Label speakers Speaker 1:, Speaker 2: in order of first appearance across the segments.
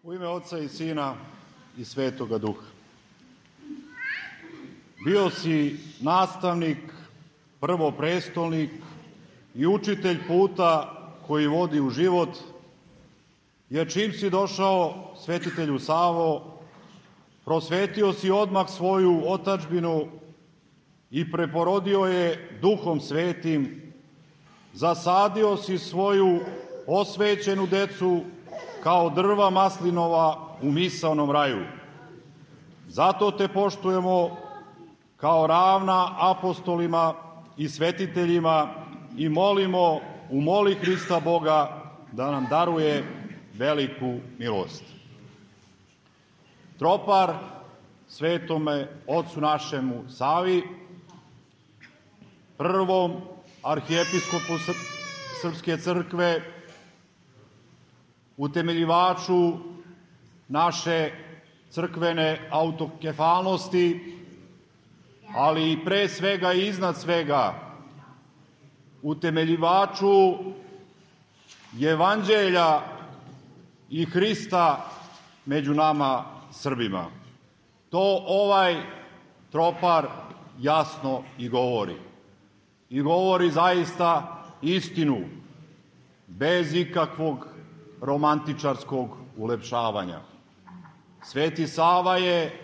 Speaker 1: U ime Oca i Sina i Svetoga Duha. Bio si nastavnik, prvoprestolnik i učitelj puta koji vodi u život, jer čim si došao svetitelju Savo, prosvetio si odmah svoju otadžbinu i preporodio je Duhom Svetim, zasadio si svoju osvećenu decu kao drva maslinova u misaonom raju. Zato te poštujemo kao ravna apostolima i svetiteljima i molimo u moli Hrista Boga da nam daruje veliku milost. Tropar svetome Otcu našemu Savi, prvom arhijepiskopu Srpske crkve, utemeljivaču naše crkvene autokefalnosti, ali i pre svega i iznad svega utemeljivaču Evanđelja i Hrista među nama Srbima. To ovaj tropar jasno i govori. I govori zaista istinu, bez ikakvog romantičarskog ulepšavanja. Sveti Sava je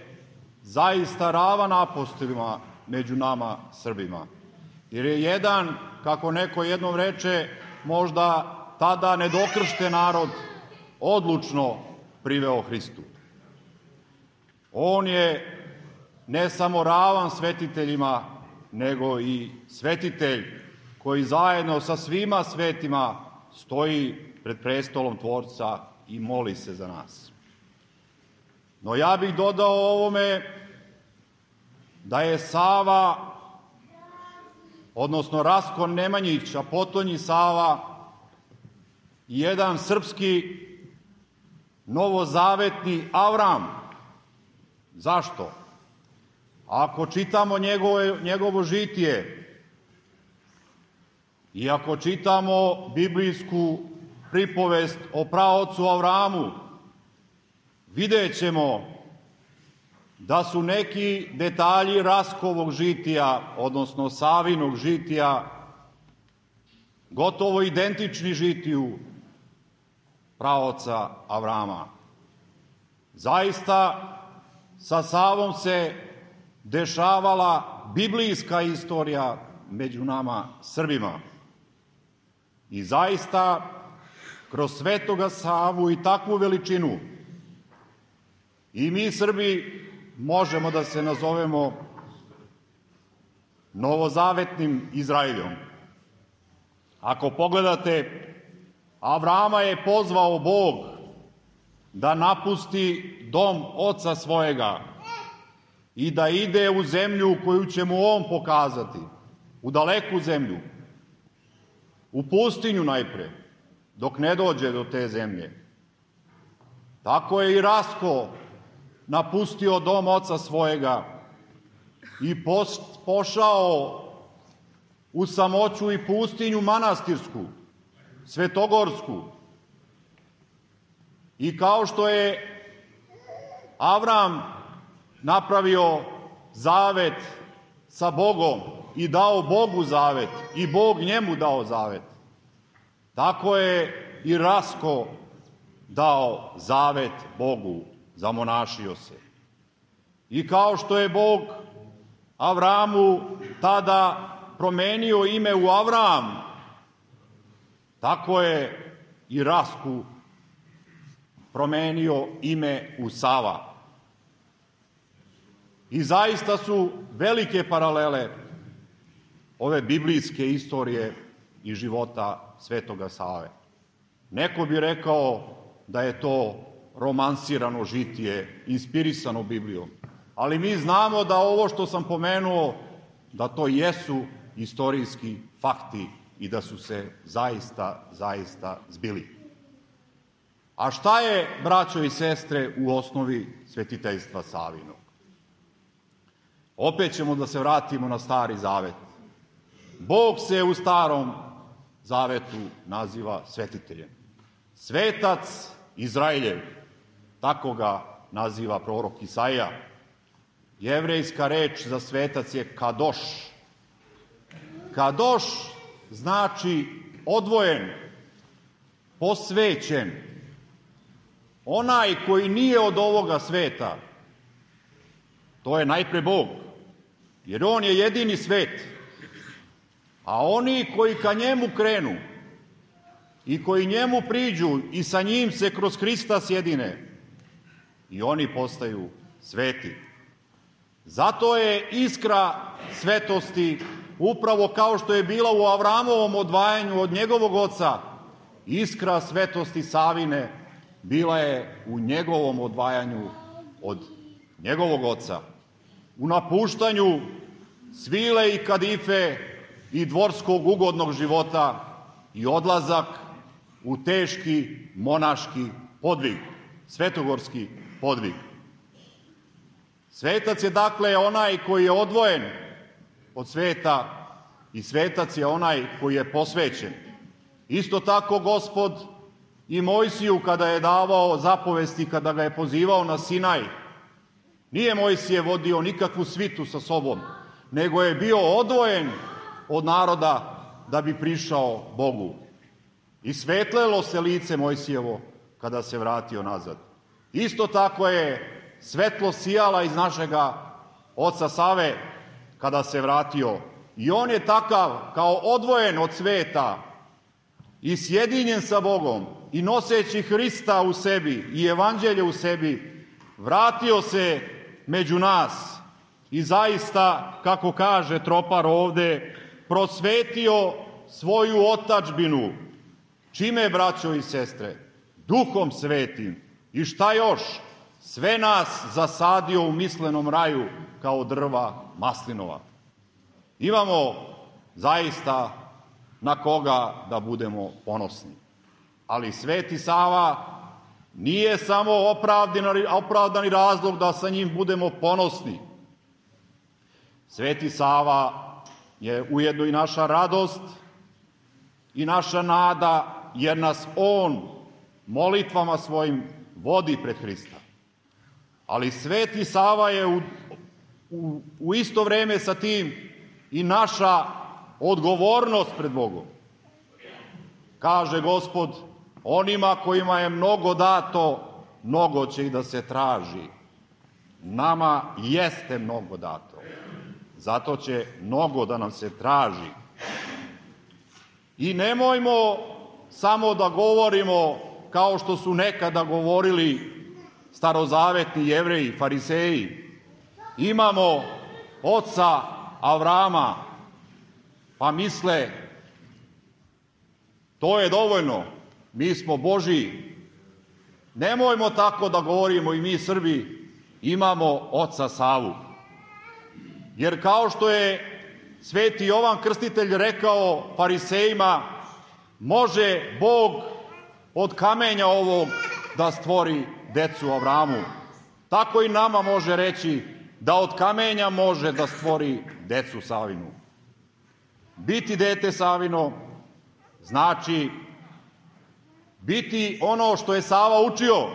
Speaker 1: zaista ravan apostolima među nama Srbima. Jer je jedan, kako neko jednom reče, možda tada nedokršten narod odlučno priveo Hristu. On je ne samo ravan svetiteljima, nego i svetitelj koji zajedno sa svima svetima stoji pred prestolom Tvorca i moli se za nas. No ja bih dodao ovome da je Sava, odnosno Rasko Nemanjić, a potonji Sava, jedan srpski novozavetni Avram. Zašto? Ako čitamo njegovo žitije i ako čitamo biblijsku pripovest o praocu Avramu, vidjet ćemo da su neki detalji Raskovog žitija, odnosno Savinog žitija, gotovo identični žitiju praoca Avrama. Zaista, sa Savom se dešavala biblijska istorija među nama Srbima. I zaista, kroz Svetoga Savu i takvu veličinu, i mi Srbi možemo da se nazovemo novozavetnim Izraeljom. Ako pogledate, Avrama je pozvao Bog da napusti dom oca svojega i da ide u zemlju koju će mu on pokazati, u daleku zemlju, u pustinju najpre, dok ne dođe do te zemlje. Tako je i Rasko napustio dom oca svojega i pošao u samoću i pustinju manastirsku, svetogorsku. I kao što je Avram napravio zavet sa Bogom i dao Bogu zavet i Bog njemu dao zavet, tako je i Rasko dao zavet Bogu, zamonašio se. I kao što je Bog Avramu tada promenio ime u Avram, tako je i Rasku promenio ime u Sava. I zaista su velike paralele ove biblijske istorije i života Svetoga Save. Neko bi rekao da je to romansirano žitije, inspirisano Biblijom. Ali mi znamo da ovo što sam pomenuo, da to jesu istorijski fakti i da su se zaista zbili. A šta je, braćo i sestre, u osnovi svetiteljstva Savinog? Opet ćemo da se vratimo na Stari Zavet. Bog se u Starom Zavetu naziva svetiteljem. Svetac Izraeljev. Tako ga naziva prorok Isaija. Jevrejska reč za svetac je kadoš. Kadoš znači odvojen, posvećen. Onaj koji nije od ovoga sveta, to je najpre Bog, jer on je jedini svet. A oni koji ka njemu krenu i koji njemu priđu i sa njim se kroz Hrista sjedine, i oni postaju sveti. Zato je iskra svetosti, upravo kao što je bila u Avramovom odvajanju od njegovog oca, iskra svetosti Savine bila je u njegovom odvajanju od njegovog oca. U napuštanju svile i kadife i dvorskog ugodnog života i odlazak u teški monaški podvig, svetogorski podvig. Svetac je dakle onaj koji je odvojen od sveta i svetac je onaj koji je posvećen. Isto tako Gospod i Mojsiju kada je davao zapovesti, kada ga je pozivao na Sinaj, nije Mojsije vodio nikakvu svitu sa sobom, nego je bio odvojen od naroda da bi prišao Bogu. I svetlelo se lice Mojsijevo kada se vratio nazad. Isto tako je svetlo sijala iz našega oca Save kada se vratio. I on je takav kao odvojen od sveta i sjedinjen sa Bogom i noseći Hrista u sebi i evanđelje u sebi, vratio se među nas i zaista, kako kaže tropar ovde, prosvetio svoju otadžbinu. Čime, braćo i sestre? Duhom svetim. I šta još? Sve nas zasadio u mislenom raju kao drva maslinova. Imamo zaista na koga da budemo ponosni. Ali Sveti Sava nije samo opravdani razlog da sa njim budemo ponosni. Sveti Sava je ujedno i naša radost i naša nada, jer nas on molitvama svojim vodi pred Hrista. Ali Sveti Sava je u isto vreme sa tim i naša odgovornost pred Bogom. Kaže Gospod, onima kojima je mnogo dato, mnogo će i da se traži. Nama jeste mnogo dato. Zato će mnogo da nam se traži. I nemojmo samo da govorimo kao što su nekada govorili starozavetni Jevreji, fariseji. Imamo oca Avrama, pa misle to je dovoljno, mi smo Božiji. Nemojmo tako da govorimo i mi Srbi, imamo oca Savu. Jer kao što je Sveti Jovan Krstitelj rekao farisejima, može Bog od kamenja ovog da stvori decu Avramu. Tako i nama može reći da od kamenja može da stvori decu Savinu. Biti dete Savino znači biti ono što je Sava učio,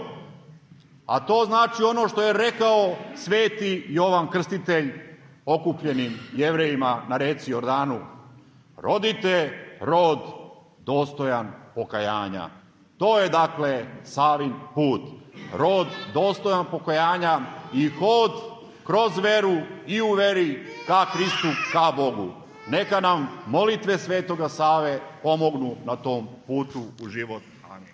Speaker 1: a to znači ono što je rekao Sveti Jovan Krstitelj okupljenim Jevrejima na reci Jordanu. Rodite rod dostojan pokajanja. To je dakle Savin put. Rod dostojan pokajanja i hod kroz veru i u veri ka Hristu, ka Bogu. Neka nam molitve Svetoga Save pomognu na tom putu u život. Amin.